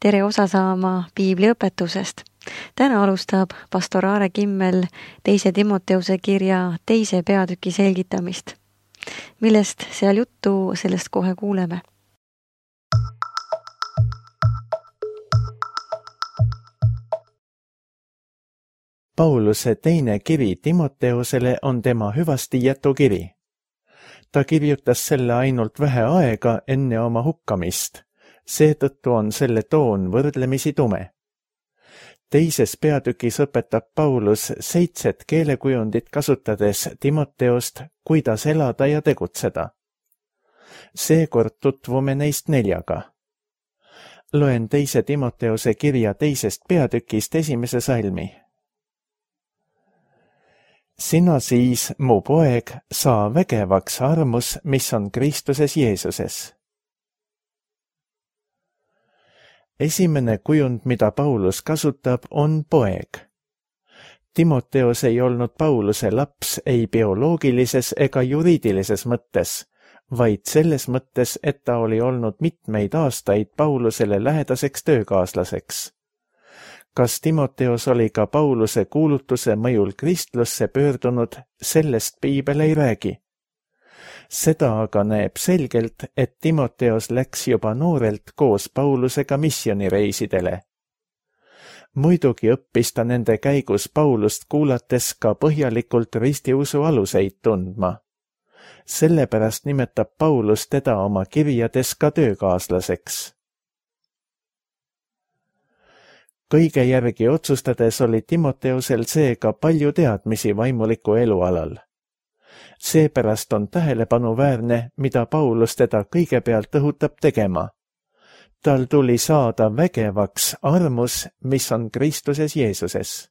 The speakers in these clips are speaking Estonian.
tere osa saama piibliõpetusest. Täna alustab pastor Aare Kimmel 2. Timoteuse kirja 2. peatüki selgitamist. Millest seal juttu, sellest kohe kuuleme. Pauluse teine kiri Timoteusele on tema hüvastijätu kiri. Ta kirjutas selle ainult vähe aega enne oma hukkamist, seetõttu on selle toon võrdlemisi tume. 2. peatükis õpetab Paulus 7 keelekujundit kasutades Timoteost, kuidas elada ja tegutseda. Seekord tutvume neist 4. Loen 2. Timoteuse kirja 2. peatükist 1. salmi. Sina siis, mu poeg, saa vägevaks armus, mis on Kristuses Jeesuses. Esimene kujund, mida Paulus kasutab, on poeg. Timoteus ei olnud Pauluse laps ei bioloogilises ega juriidilises mõttes, vaid selles mõttes, et ta oli olnud mitmeid aastaid Paulusele lähedaseks töökaaslaseks. Kas Timoteus oli ka Pauluse kuulutuse mõjul kristlusse pöördunud, sellest piibel ei räägi. Seda aga näeb selgelt, et Timoteus läks juba noorelt koos Paulusega missionireisidele. Muidugi õppis ta nende käigus Paulust kuulates ka põhjalikult ristiusu aluseid tundma. Sellepärast nimetab Paulus teda oma kirjades ka töökaaslaseks. Kõige järgi otsustades oli Timoteusel seega palju teadmisi vaimuliku elu alal. Seepärast on tähelepanuväärne, mida Paulus teda kõigepealt õhutab tegema. Tal tuli saada vägevaks armus, mis on Kristuses Jeesuses.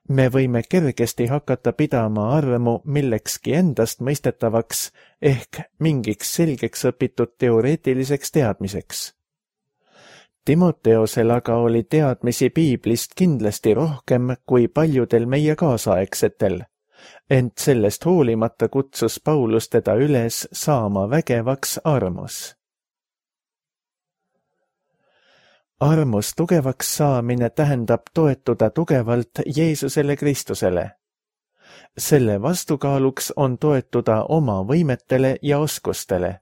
Me võime kergesti hakata pidama armu millekski endast mõistetavaks ehk mingiks selgeks õpitud teoreetiliseks teadmiseks. Timoteusel aga oli teadmisi piiblist kindlasti rohkem kui paljudel meie kaasaegsetel, ent sellest hoolimata kutsus Paulus teda üles saama vägevaks armus. Armus tugevaks saamine tähendab toetuda tugevalt Jeesusele Kristusele. Selle vastukaaluks on toetuda oma võimetele ja oskustele.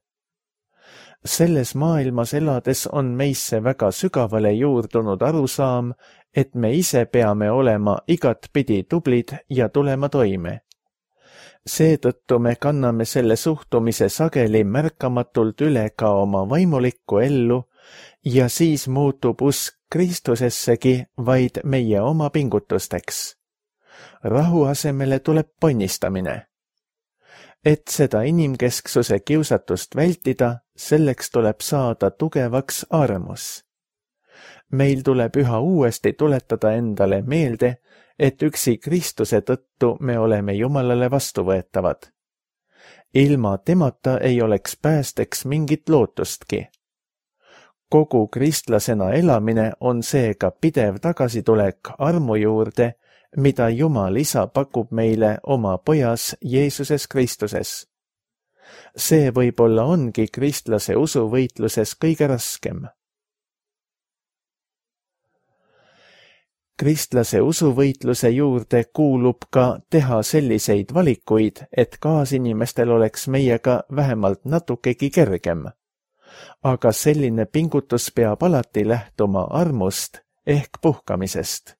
Selles maailmas elades on meisse väga sügavale juurdunud arusaam, et me ise peame olema igatpidi tublid ja tulema toime. Seetõttu me kanname selle suhtumise sageli märkamatult üle ka oma vaimulikku ellu ja siis muutub usk Kristusessegi vaid meie oma pingutusteks. Rahu asemele tuleb ponnistamine. Et seda inimkesksuse kiusatust vältida, selleks tuleb saada tugevaks armus. Meil tuleb üha uuesti tuletada endale meelde, et üksi Kristuse tõttu me oleme Jumalale vastuvõetavad. Ilma temata ei oleks päästeks mingit lootustki. Kogu kristlasena elamine on seega pidev tagasitulek armu juurde, mida Jumal Isa pakub meile oma pojas Jeesuses Kristuses. See võib-olla ongi kristlase usuvõitluses kõige raskem. Kristlase usuvõitluse juurde kuulub ka teha selliseid valikuid, et kaasinimestel oleks meiega vähemalt natukegi kergem. Aga selline pingutus peab alati lähtuma armust ehk puhkamisest.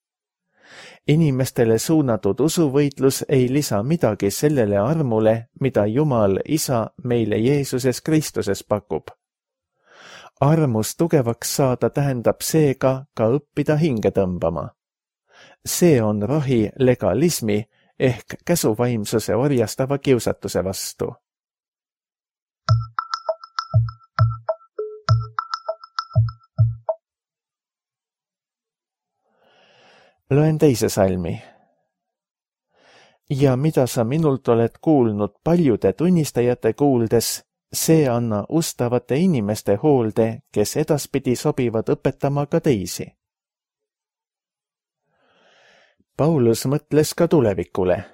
Inimestele suunatud usuvõitlus ei lisa midagi sellele armule, mida Jumal Isa meile Jeesuses Kristuses pakub. Armus tugevaks saada tähendab seega ka õppida hinge tõmbama. See on rohi legalismi ehk käsuvaimsuse orjastava kiusatuse vastu. Loen 2. salmi. Ja mida sa minult oled kuulnud paljude tunnistajate kuuldes, see anna ustavate inimeste hoolde, kes edaspidi sobivad õpetama ka teisi. Paulus mõtles ka tulevikule.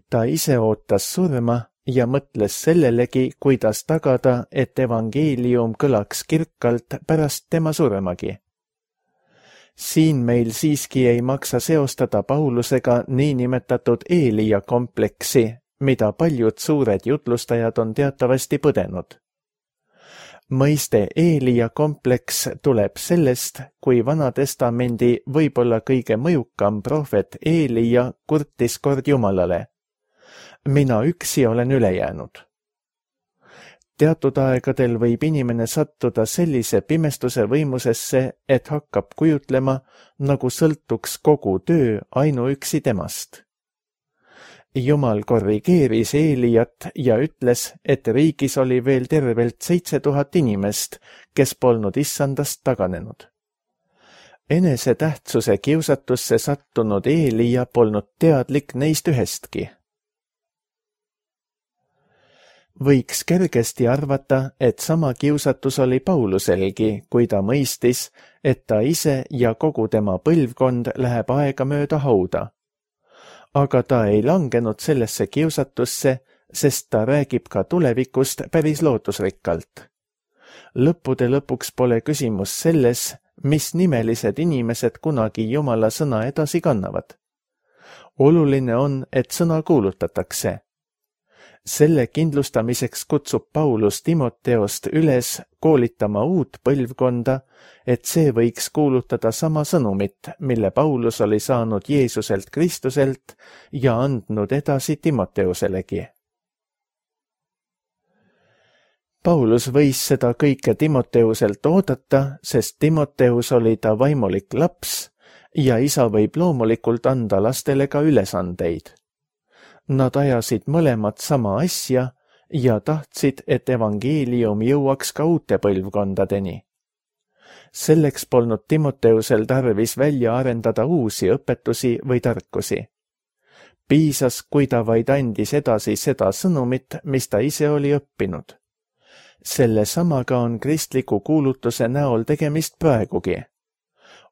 Ta ise ootas surma ja mõtles sellelegi, kuidas tagada, et evangeelium kõlaks kirkalt pärast tema suremagi. Siin meil siiski ei maksa seostada Paulusega niinimetatud Eelia kompleksi, mida paljud suured jutlustajad on teatavasti põdenud. Mõiste Eelia kompleks tuleb sellest, kui Vanatestamendi võib-olla kõige mõjukam prohvet Eelia kurtis kord Jumalale: mina üksi olen üle jäänud. Teatud aegadel võib inimene sattuda sellise pimestuse võimusesse, et hakkab kujutlema, nagu sõltuks kogu töö ainuüksi temast. Jumal korrigeeris Eeliat ja ütles, et riigis oli veel tervelt 7000 inimest, kes polnud issandast taganenud. Enesetähtsuse kiusatusse sattunud Eelia polnud teadlik neist ühestki. Võiks kergesti arvata, et sama kiusatus oli Pauluselgi, kui ta mõistis, et ta ise ja kogu tema põlvkond läheb aegamööda hauda. Aga ta ei langenud sellesse kiusatusse, sest ta räägib ka tulevikust päris lootusrikkalt. Lõppude lõpuks pole küsimus selles, mis nimelised inimesed kunagi Jumala sõna edasi kannavad. Oluline on, et sõna kuulutatakse. Selle kindlustamiseks kutsub Paulus Timoteost üles koolitama uut põlvkonda, et see võiks kuulutada sama sõnumit, mille Paulus oli saanud Jeesuselt Kristuselt ja andnud edasi Timoteuselegi. Paulus võis seda kõike Timoteuselt oodata, sest Timoteus oli ta vaimulik laps ja isa võib loomulikult anda lastele ka ülesandeid. Nad ajasid mõlemad sama asja ja tahtsid, et evangeelium jõuaks ka uute põlvkondadeni. Selleks polnud Timoteusel tarvis välja arendada uusi õpetusi või tarkusi. Piisas, kui ta vaid andis edasi seda sõnumit, mis ta ise oli õppinud. Selle samaga on kristliku kuulutuse näol tegemist praegugi.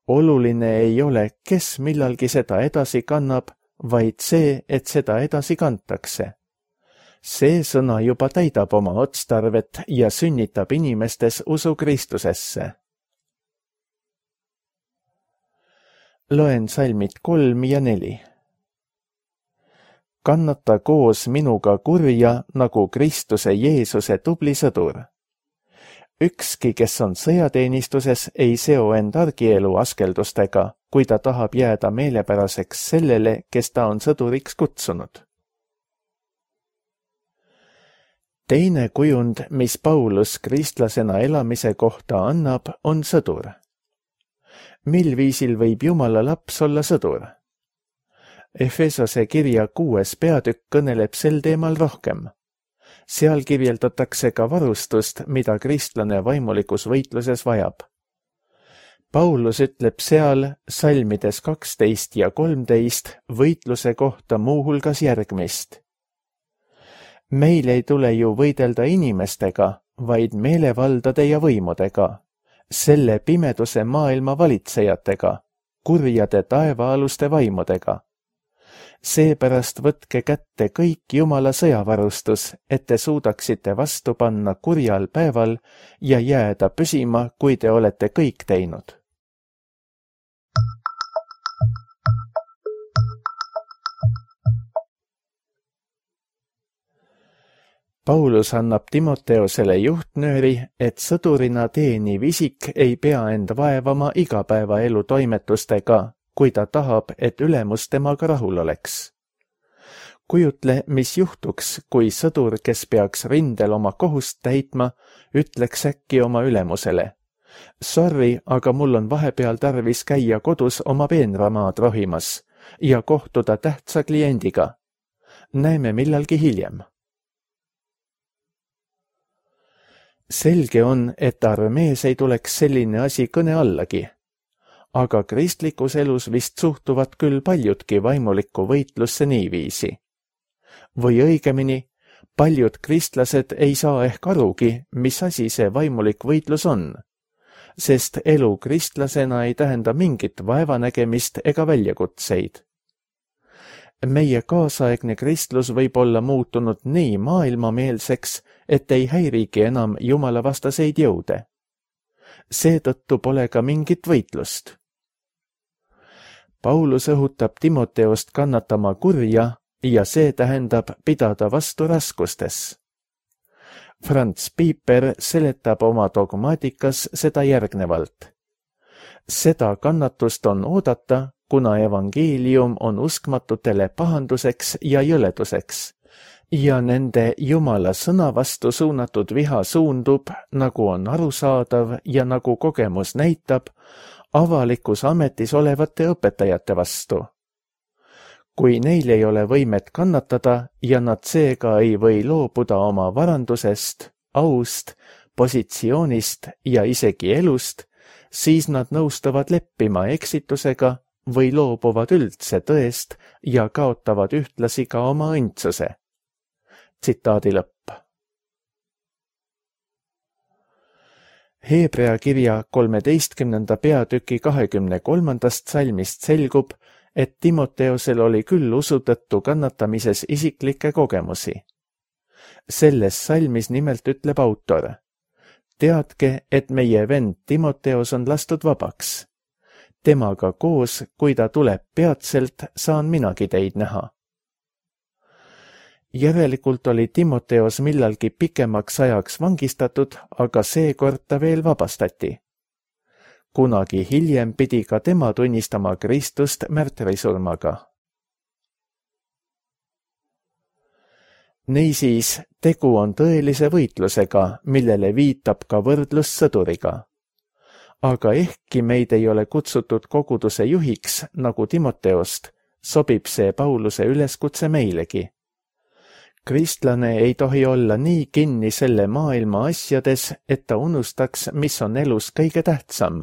Oluline ei ole, kes millalgi seda edasi kannab, vaid see, et seda edasi kantakse. See sõna juba täidab oma otstarvet ja sünnitab inimestes usu Kristusesse. Loen salmid 3 ja 4. Kannata koos minuga kurja nagu Kristuse Jeesuse tubli sõdur. Ükski, kes on sõjateenistuses, ei seo end argielu askeldustega, kui ta tahab jääda meelepäraseks sellele, kes ta on sõduriks kutsunud. Teine kujund, mis Paulus kristlasena elamise kohta annab, on sõdur. Mil viisil võib Jumala laps olla sõdur? Efesose kirja 6. peatükk kõneleb sel teemal rohkem. Seal kirjeldatakse ka varustust, mida kristlane vaimulikus võitluses vajab. Paulus ütleb seal salmides 12 ja 13 võitluse kohta muuhulgas järgmist. Meil ei tule ju võidelda inimestega, vaid meelevaldade ja võimudega, selle pimeduse maailma valitsejatega, kurjade taevaaluste vaimudega. Seepärast võtke kätte kõik Jumala sõjavarustus, et te suudaksite vastu panna kurjal päeval ja jääda püsima, kui te olete kõik teinud. Paulus annab Timoteosele juhtnööri, et sõdurina teeniv isik ei pea end vaevama igapäevaelu toimetustega, kui ta tahab, et ülemus temaga rahul oleks. Kujutle, mis juhtuks, kui sõdur, kes peaks rindel oma kohust täitma, ütleks äkki oma ülemusele: sorry, aga mul on vahepeal tarvis käia kodus oma peenramaad rohimas ja kohtuda tähtsa kliendiga. Näeme millalgi hiljem. Selge on, et armees ei tuleks selline asi kõne allagi. Aga kristlikus elus vist suhtuvad küll paljudki vaimulikku võitlusse niiviisi. Või õigemini, paljud kristlased ei saa ehk arugi, mis asi see vaimulik võitlus on, sest elu kristlasena ei tähenda mingit vaevanägemist ega väljakutseid. Meie kaasaegne kristlus võib olla muutunud nii maailmameelseks, et ei häirigi enam jumalavastaseid jõude. Seetõttu pole ka mingit võitlust. Paulus õhutab Timoteost kannatama kurja ja see tähendab pidada vastu raskustes. Franz Piper seletab oma dogmaatikas seda järgnevalt. Seda kannatust on oodata, kuna evangeelium on uskmatutele pahanduseks ja jõleduseks ja nende Jumala sõna vastu suunatud viha suundub, nagu on arusaadav ja nagu kogemus näitab, avalikus ametis olevate õpetajate vastu. Kui neil ei ole võimet kannatada ja nad seega ei või loobuda oma varandusest, aust, positsioonist ja isegi elust, siis nad nõustuvad leppima eksitusega või loobuvad üldse tõest ja kaotavad ühtlasi ka oma õndsuse. Tsitaadi lõpp. Heebrea kirja 13. peatüki 23. salmist selgub, et Timoteosel oli küll usu tõttu kannatamises isiklikke kogemusi. Selles salmis nimelt ütleb autor: teadke, et meie vend Timoteos on lastud vabaks. Temaga koos, kui ta tuleb peatselt, saan minagi teid näha. Järelikult oli Timoteos millalgi pikemaks ajaks vangistatud, aga seekord ta veel vabastati. Kunagi hiljem pidi ka tema tunnistama Kristust märtrisurmaga. Niisiis, tegu on tõelise võitlusega, millele viitab ka võrdlus sõduriga. Aga ehkki meid ei ole kutsutud koguduse juhiks, nagu Timoteost, sobib see Pauluse üleskutse meilegi. Kristlane ei tohi olla nii kinni selle maailma asjades, et ta unustaks, mis on elus kõige tähtsam: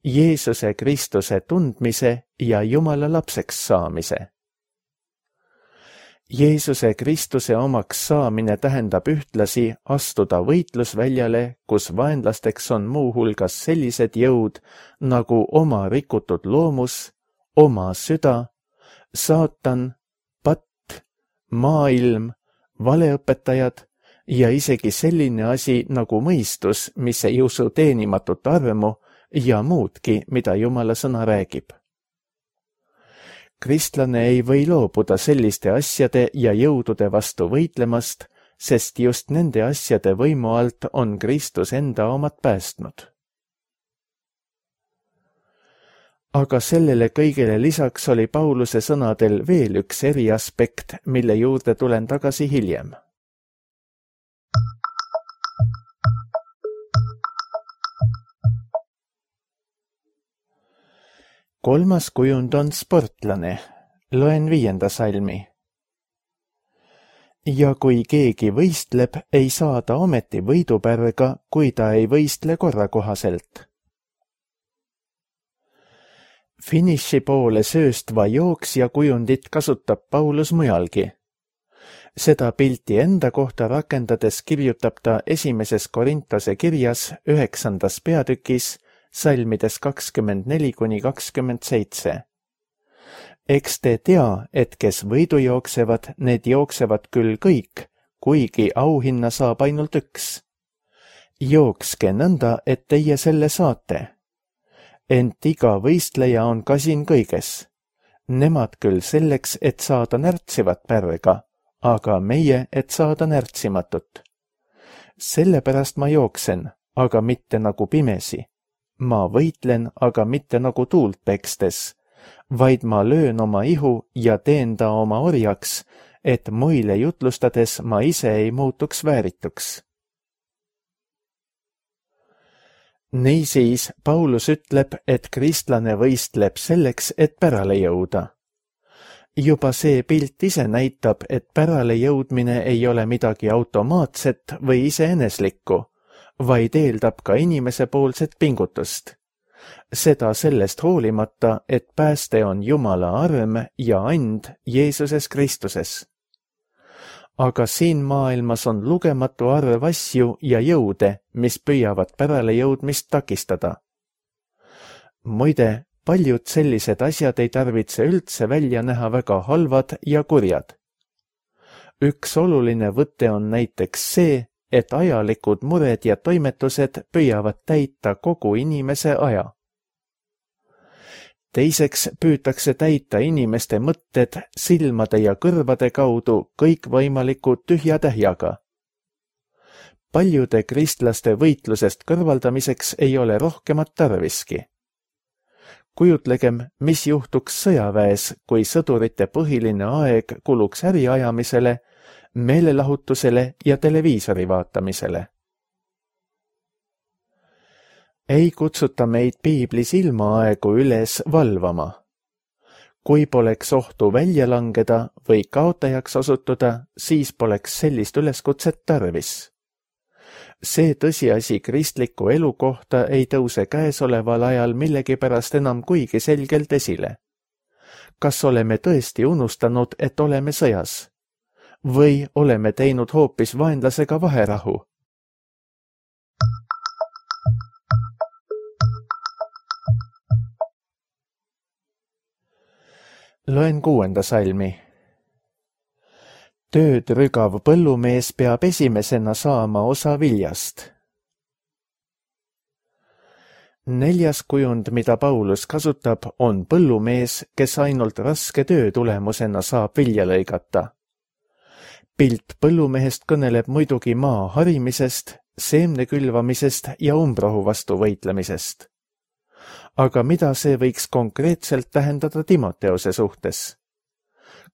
Jeesuse Kristuse tundmise ja Jumala lapseks saamise. Jeesuse Kristuse omaks saamine tähendab ühtlasi astuda võitlusväljale, kus vaenlasteks on muuhulgas sellised jõud nagu oma rikutud loomus, oma süda, saatan, patt, maailm, valeõpetajad ja isegi selline asi nagu mõistus, mis ei usu teenimatut armu ja muudki, mida Jumala sõna räägib. Kristlane ei või loobuda selliste asjade ja jõudude vastu võitlemast, sest just nende asjade võimu alt on Kristus enda omad päästnud. Aga sellele kõigele lisaks oli Pauluse sõnadel veel üks eriaspekt, mille juurde tulen tagasi hiljem. Kolmas kujund on sportlane. Loen 5. salmi. Ja kui keegi võistleb, ei saa ta ometi võidupärga, kui ta ei võistle korrakohaselt. Finiši poole sööstva jooksja kujundit kasutab Paulus mujalgi. Seda pilti enda kohta rakendades kirjutab ta 1. Korintuse kirjas 9. peatükis salmides 24–27. Eks te tea, et kes võidu jooksevad, need jooksevad küll kõik, kuigi auhinna saab ainult üks. Jookske nõnda, et teie selle saate. Ent iga võistleja on kasin kõiges. Nemad küll selleks, et saada närtsivat pärga, aga meie, et saada närtsimatut. Sellepärast ma jooksen, aga mitte nagu pimesi. Ma võitlen, aga mitte nagu tuult pekstes, vaid ma löön oma ihu ja teen ta oma orjaks, et muile jutlustades ma ise ei muutuks väärituks. Niisiis, Paulus ütleb, et kristlane võistleb selleks, et pärale jõuda. Juba see pilt ise näitab, et pärale jõudmine ei ole midagi automaatset või iseeneslikku, vaid eeldab ka inimese poolset pingutust. Seda sellest hoolimata, et pääste on Jumala arm ja and Jeesuses Kristuses. Aga siin maailmas on lugematu arv asju ja jõude, mis püüavad pärale jõudmist takistada. Muide, paljud sellised asjad ei tarvitse üldse välja näha väga halvad ja kurjad. Üks oluline võte on näiteks see, et ajalikud mured ja toimetused püüavad täita kogu inimese aja. Teiseks püütakse täita inimeste mõtted silmade ja kõrvade kaudu kõikvõimaliku tühja tähjaga. Paljude kristlaste võitlusest kõrvaldamiseks ei ole rohkemat tarviski. Kujutlegem, mis juhtuks sõjaväes, kui sõdurite põhiline aeg kuluks äriajamisele, meelelahutusele ja televiisori vaatamisele. Ei kutsuta meid piiblis ilmaaegu üles valvama. Kui poleks ohtu välja langeda või kaotajaks osutuda, siis poleks sellist üleskutset tarvis. See tõsiasi kristliku elu kohta ei tõuse käesoleval ajal millegipärast enam kuigi selgelt esile. Kas oleme tõesti unustanud, et oleme sõjas? Või oleme teinud hoopis vaenlasega vaherahu? Loen 6. salmi. Tööd rügav põllumees peab esimesena saama osa viljast. 4. kujund, mida Paulus kasutab, on põllumees, kes ainult raske töö tulemusena saab vilja lõigata. Pilt põllumehest kõneleb muidugi maa harimisest, seemne külvamisest ja umbrohu vastu võitlemisest. Aga mida see võiks konkreetselt tähendada Timoteose suhtes?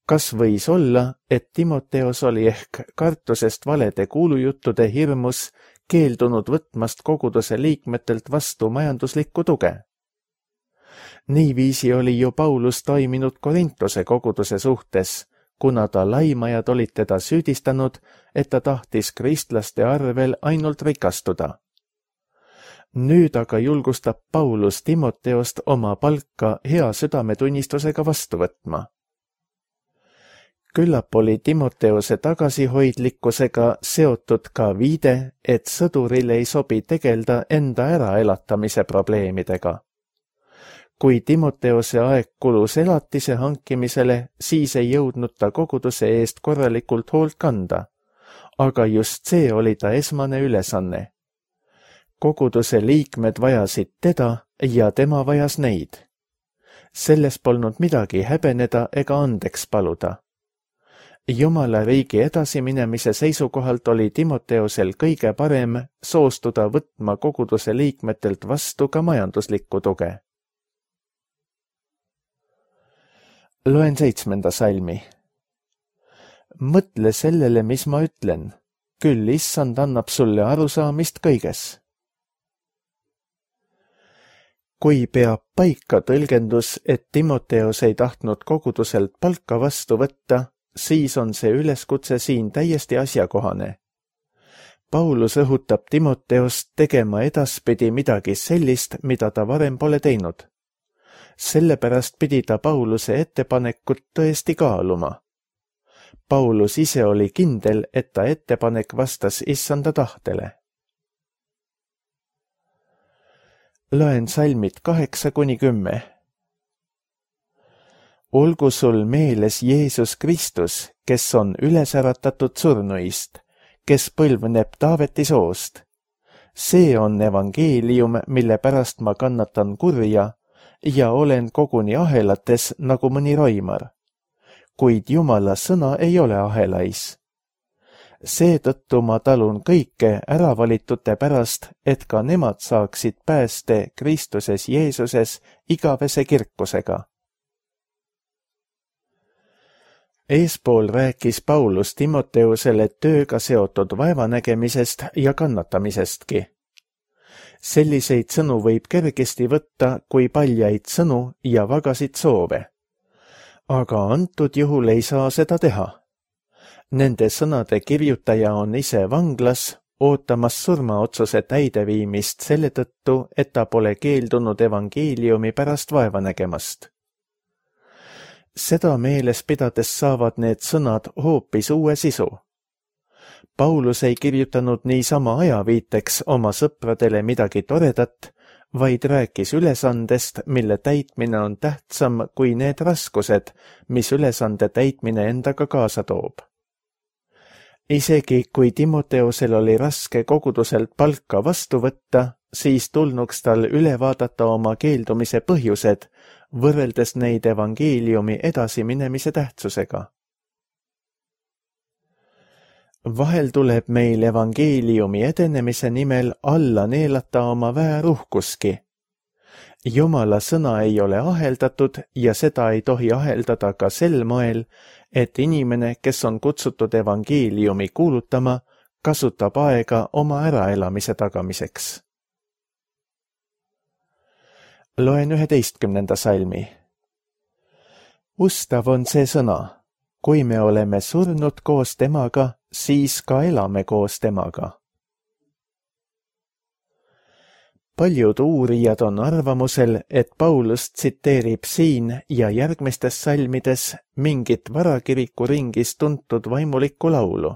Kas võis olla, et Timoteos oli ehk kartusest valede kuulujuttude hirmus keeldunud võtmast koguduse liikmetelt vastu majanduslikku tuge? Niiviisi oli ju Paulus toiminud Korintuse koguduse suhtes, kuna ta laimajad olid teda süüdistanud, et ta tahtis kristlaste arvel ainult rikastuda. Nüüd aga julgustab Paulus Timoteost oma palka hea südametunnistusega vastu võtma. Küllap oli Timoteose tagasihoidlikkusega seotud ka viide, et sõduril ei sobi tegelda enda äraelatamise probleemidega. Kui Timoteose aeg kulus elatise hankimisele, siis ei jõudnud ta koguduse eest korralikult hoolt kanda, aga just see oli ta esmane ülesanne. Koguduse liikmed vajasid teda ja tema vajas neid. Selles polnud midagi häbeneda ega andeks paluda. Jumala riigi edasiminemise seisukohalt oli Timoteosel kõige parem soostuda võtma koguduse liikmetelt vastu ka majanduslikku tuge. Loen 7. salmi. Mõtle sellele, mis ma ütlen. Küll issand annab sulle arusaamist kõiges. Kui peab paika tõlgendus, et Timoteos ei tahtnud koguduselt palka vastu võtta, siis on see üleskutse siin täiesti asjakohane. Paulus õhutab Timoteost tegema edaspidi midagi sellist, mida ta varem pole teinud. Sellepärast pidi ta Pauluse ettepanekut tõesti kaaluma. Paulus ise oli kindel, et ta ettepanek vastas issanda tahtele. Loen salmid 8-10. Olgu sul meeles Jeesus Kristus, kes on üles äratatud surnuist, kes põlvneb Taaveti soost. See on evangeelium, mille pärast ma kannatan kurja ja olen koguni ahelates nagu mõni roimar. Kuid Jumala sõna ei ole ahelais. Seetõttu ma talun kõike äravalitute pärast, et ka nemad saaksid pääste Kristuses Jeesuses igavese kirkusega. Eespool rääkis Paulus Timoteusele tööga seotud vaevanägemisest ja kannatamisestki. Selliseid sõnu võib kergesti võtta kui paljaid sõnu ja vagasid soove. Aga antud juhul ei saa seda teha. Nende sõnade kirjutaja on ise vanglas, ootamas surmaotsuse täideviimist selle tõttu, et ta pole keeldunud evangeeliumi pärast vaeva nägemast. Seda meeles pidades saavad need sõnad hoopis uue sisu. Paulus ei kirjutanud niisama ajaviiteks oma sõpradele midagi toredat, vaid rääkis ülesandest, mille täitmine on tähtsam kui need raskused, mis ülesande täitmine endaga kaasa toob. Isegi kui Timoteusel oli raske koguduselt palka vastu võtta, siis tulnuks tal üle vaadata oma keeldumise põhjused, võrreldes neid evangeeliumi edasiminemise tähtsusega. Vahel tuleb meil evangeeliumi edenemise nimel alla neelata oma vääruhkuski. Jumala sõna ei ole aheldatud ja seda ei tohi aheldada ka sel moel, et inimene, kes on kutsutud evangeeliumi kuulutama, kasutab aega oma äraelamise tagamiseks. Loen 11. salmi. Ustav on see sõna, kui me oleme surnud koos temaga, siis ka elame koos temaga. Paljud uurijad on arvamusel, et Paulus tsiteerib siin ja järgmistes salmides mingit varakiriku ringis tuntud vaimulikku laulu.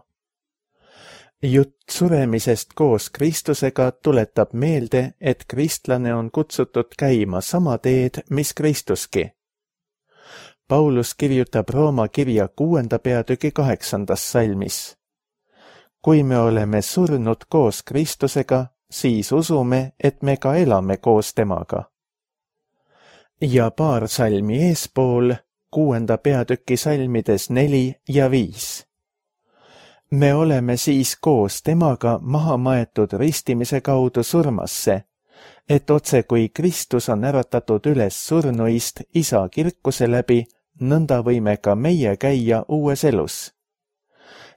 Jutt suremisest koos Kristusega tuletab meelde, et kristlane on kutsutud käima sama teed, mis Kristuski. Paulus kirjutab Rooma kirja 6. peatüki 8. salmis. Kui me oleme surnud koos Kristusega, siis usume, et me ka elame koos temaga. Ja paar salmi eespool, 6. peatüki salmides 4 ja 5. Me oleme siis koos temaga maha maetud ristimise kaudu surmasse, et otse kui Kristus on äratatud üles surnuist Isa kirkuse läbi, nõnda võime ka meie käia uues elus.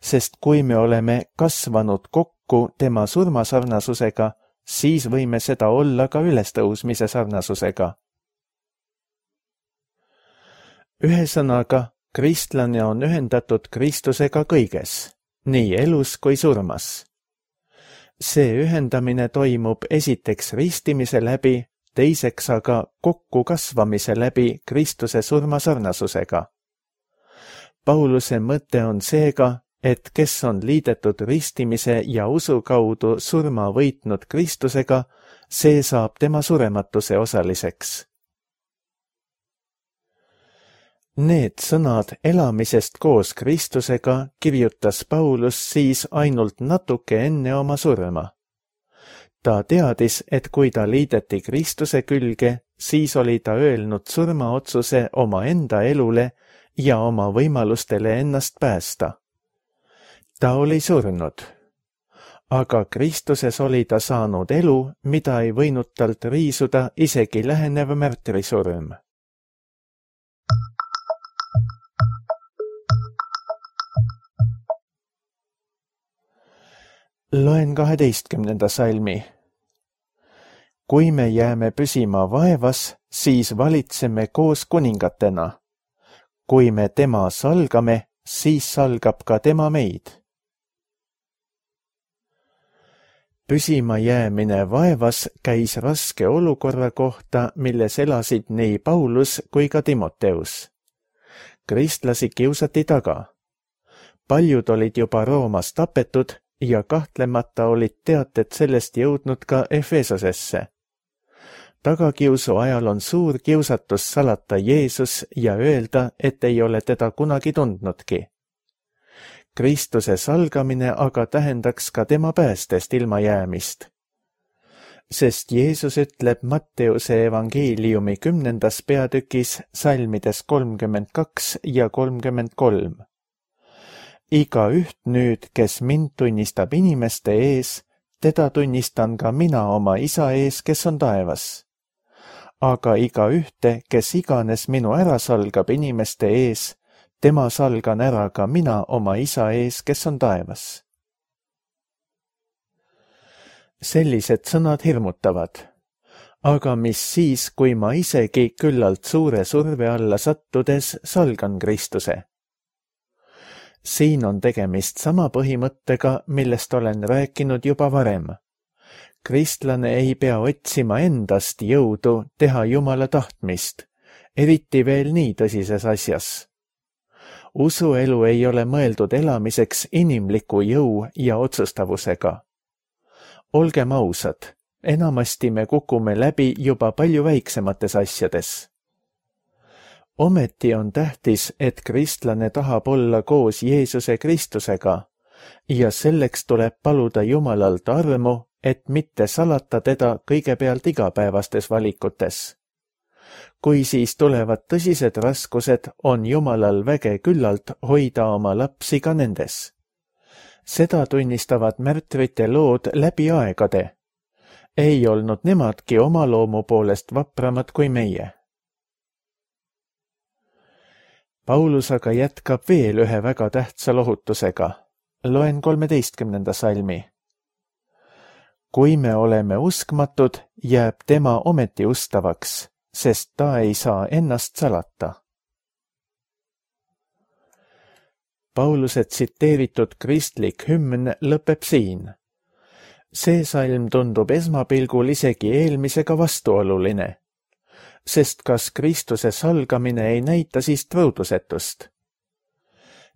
Sest kui me oleme kasvanud kokku tema surmasarnasusega, siis võime seda olla ka ülestõusmise sarnasusega. Ühesõnaga, kristlane on ühendatud Kristusega kõiges, nii elus kui surmas. See ühendamine toimub esiteks ristimise läbi, teiseks aga kokku kasvamise läbi Kristuse surmasarnasusega. Pauluse mõte on seega, et kes on liidetud ristimise ja usu kaudu surma võitnud Kristusega, see saab tema surematuse osaliseks. Need sõnad elamisest koos Kristusega kirjutas Paulus siis ainult natuke enne oma surma. Ta teadis, et kui ta liideti Kristuse külge, siis oli ta öelnud surmaotsuse oma enda elule ja oma võimalustele ennast päästa. Ta oli surnud, aga Kristuses oli ta saanud elu, mida ei võinud talt riisuda isegi lähenev märtrisurm. Loen 12. salmi. Kui me jääme püsima vaevas, siis valitseme koos kuningatena. Kui me tema salgame, siis salgab ka tema meid. Püsima jäämine vaevas käis raske olukorra kohta, milles elasid nii Paulus kui ka Timoteus. Kristlasi kiusati taga. Paljud olid juba Roomas tapetud ja kahtlemata olid teated sellest jõudnud ka Efesosesse. Tagakiusu ajal on suur kiusatus salata Jeesus ja öelda, et ei ole teda kunagi tundnudki. Kristuse salgamine aga tähendaks ka tema päästest ilmajäämist. Sest Jeesus ütleb Matteuse evangeeliumi 10. peatükis salmides 32 ja 33. Igaüht nüüd, kes mind tunnistab inimeste ees, teda tunnistan ka mina oma Isa ees, kes on taevas. Aga igaühte, kes iganes minu ära salgab inimeste ees, tema salgan ära ka mina oma Isa ees, kes on taevas. Sellised sõnad hirmutavad. Aga mis siis, kui ma isegi küllalt suure surve alla sattudes salgan Kristuse? Siin on tegemist sama põhimõttega, millest olen rääkinud juba varem. Kristlane ei pea otsima endast jõudu teha Jumala tahtmist, eriti veel nii tõsises asjas. Usuelu ei ole mõeldud elamiseks inimliku jõu ja otsustavusega. Olgem ausad, enamasti me kukume läbi juba palju väiksemates asjades. Ometi on tähtis, et kristlane tahab olla koos Jeesuse Kristusega ja selleks tuleb paluda Jumalalt armu, et mitte salata teda kõigepealt igapäevastes valikutes. Kui siis tulevad tõsised raskused, on Jumalal väge küllalt hoida oma lapsi ka nendes. Seda tunnistavad märtrite lood läbi aegade. Ei olnud nemadki oma loomu poolest vapramad kui meie. Paulus aga jätkab veel ühe väga tähtsa lohutusega. Loen 13. salmi. Kui me oleme uskmatud, jääb tema ometi ustavaks, sest ta ei saa ennast salata. Pauluse tsiteeritud kristlik hümn lõpeb siin. See salm tundub esmapilgul isegi eelmisega vastuoluline, sest kas Kristuse salgamine ei näita siis truudusetust?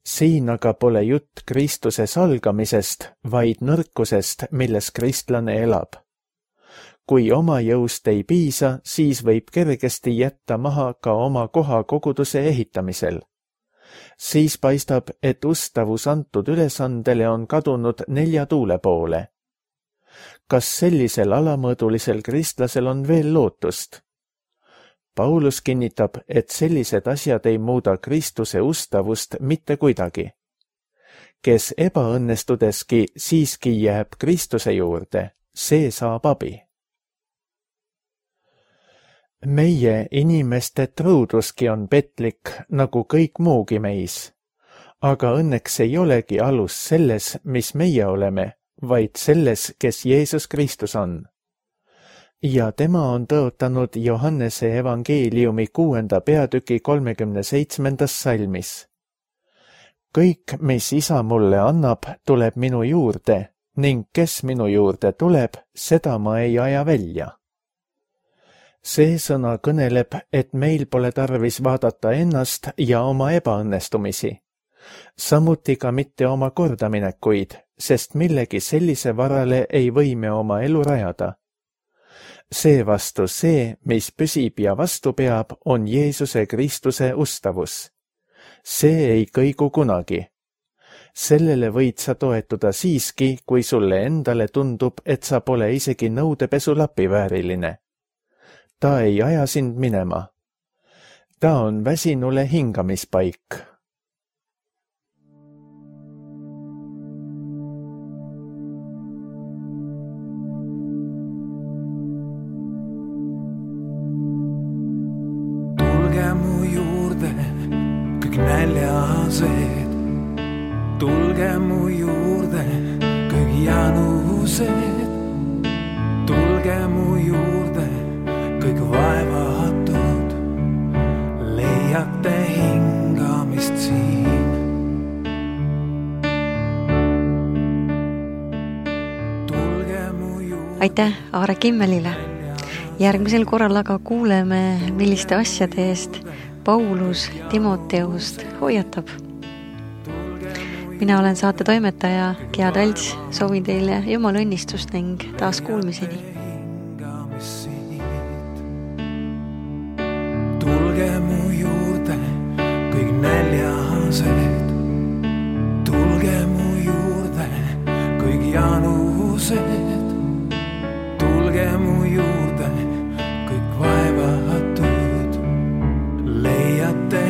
Siin aga pole jutt Kristuse salgamisest, vaid nõrkusest, milles kristlane elab. Kui oma jõust ei piisa, siis võib kergesti jätta maha ka oma koha koguduse ehitamisel. Siis paistab, et ustavus antud ülesandele on kadunud 4 tuule poole. Kas sellisel alamõõdulisel kristlasel on veel lootust? Paulus kinnitab, et sellised asjad ei muuda Kristuse ustavust mitte kuidagi. Kes ebaõnnestudeski siiski jääb Kristuse juurde, see saab abi. Meie inimeste truuduski on petlik, nagu kõik muugi meis. Aga õnneks ei olegi alus selles, mis meie oleme, vaid selles, kes Jeesus Kristus on. Ja tema on tõotanud Johannese evangeeliumi 6. peatüki 37. salmis. Kõik, mis isa mulle annab, tuleb minu juurde, ning kes minu juurde tuleb, seda ma ei aja välja. See sõna kõneleb, et meil pole tarvis vaadata ennast ja oma ebaõnnestumisi, samuti ka mitte oma kordaminekuid, sest millegi sellise varale ei või me oma elu rajada. Seevastu see, mis püsib ja vastu peab, on Jeesuse Kristuse ustavus. See ei kõigu kunagi. Sellele võid sa toetuda siiski, kui sulle endale tundub, et sa pole isegi nõudepesulapi vääriline. Ta ei aja sind minema. Ta on väsinule hingamispaik. Tulge mu juurde, kõik näljased. Tulge mu juurde, kõik janused. Tulge mu juurde, kõik vaevatud, leiate hingamist siin. Tulge mu juurde. Aitäh Aare Kimmelile. Järgmisel korral aga kuuleme, milliste asjade eest Paulus Timoteust hoiatab. Mina olen saate toimetaja Gea Talts, soovin teile Jumala õnnistust ning taas kuulmiseni. Tulge mu juurde, kõik näljased. Tulge mu juurde, kõik janused. Tulge mu juurde, kõik vaevatud, leiate